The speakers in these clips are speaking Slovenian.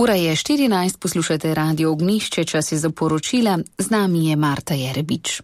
Ura je 14, poslušate Radio Ognjišče, čas je za poročila, z nami je Marta Jerebič.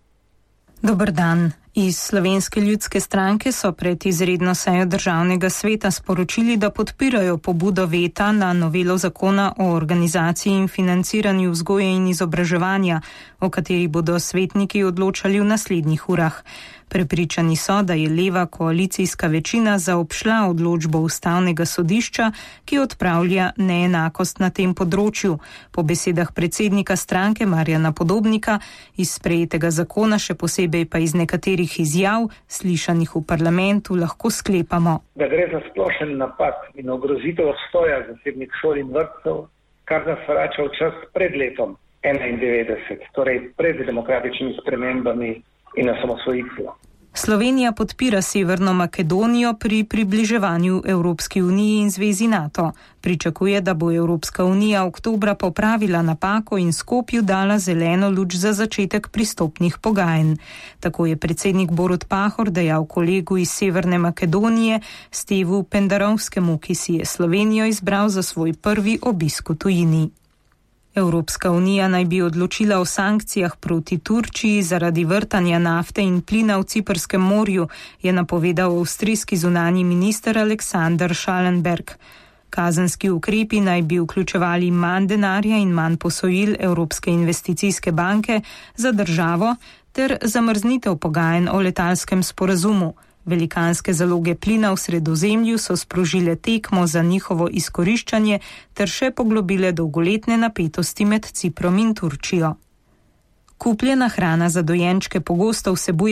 Dober dan. Iz Slovenske ljudske stranke so pred izredno sejo Državnega sveta sporočili, da podpirajo pobudo veta na novelo zakona o organizaciji in financiranju vzgoje in izobraževanja, o kateri bodo svetniki odločali v naslednjih urah. Prepričani so, da je leva koalicijska večina zaobšla odločbo Ustavnega sodišča, ki odpravlja neenakost na tem področju. Po besedah predsednika stranke Marjana Podobnika, iz sprejetega zakona, še posebej pa iz nekaterih izjav, slišanih v parlamentu, lahko sklepamo, da gre za splošen napad in ogrozitev obstoja zasebnih šol in vrtcev, kar nas vrača v čas pred letom 1991, torej pred demokratičnimi spremembami in osamosvojitvijo. Slovenija podpira Severno Makedonijo pri približevanju Evropski uniji in zvezi NATO. Pričakuje, da bo Evropska unija oktobra popravila napako in Skopju dala zeleno luč za začetek pristopnih pogajanj. Tako je predsednik Borut Pahor dejal kolegu iz Severne Makedonije Stevu Pendarovskemu, ki si je Slovenijo izbral za svoj prvi obisk v tujini. Evropska unija naj bi odločila o sankcijah proti Turčiji zaradi vrtanja nafte in plina v Ciprskem morju, je napovedal avstrijski zunanji minister Alexander Schallenberg. Kazenski ukrepi naj bi vključevali manj denarja in manj posojil Evropske investicijske banke za državo ter zamrznitev pogajanj o letalskem sporazumu. Velikanske zaloge plina v Sredozemlju so sprožile tekmo za njihovo izkoriščanje ter še poglobile dolgoletne napetosti med Ciprom in Turčijo. Kupljena hrana za dojenčke pogosto vsebuje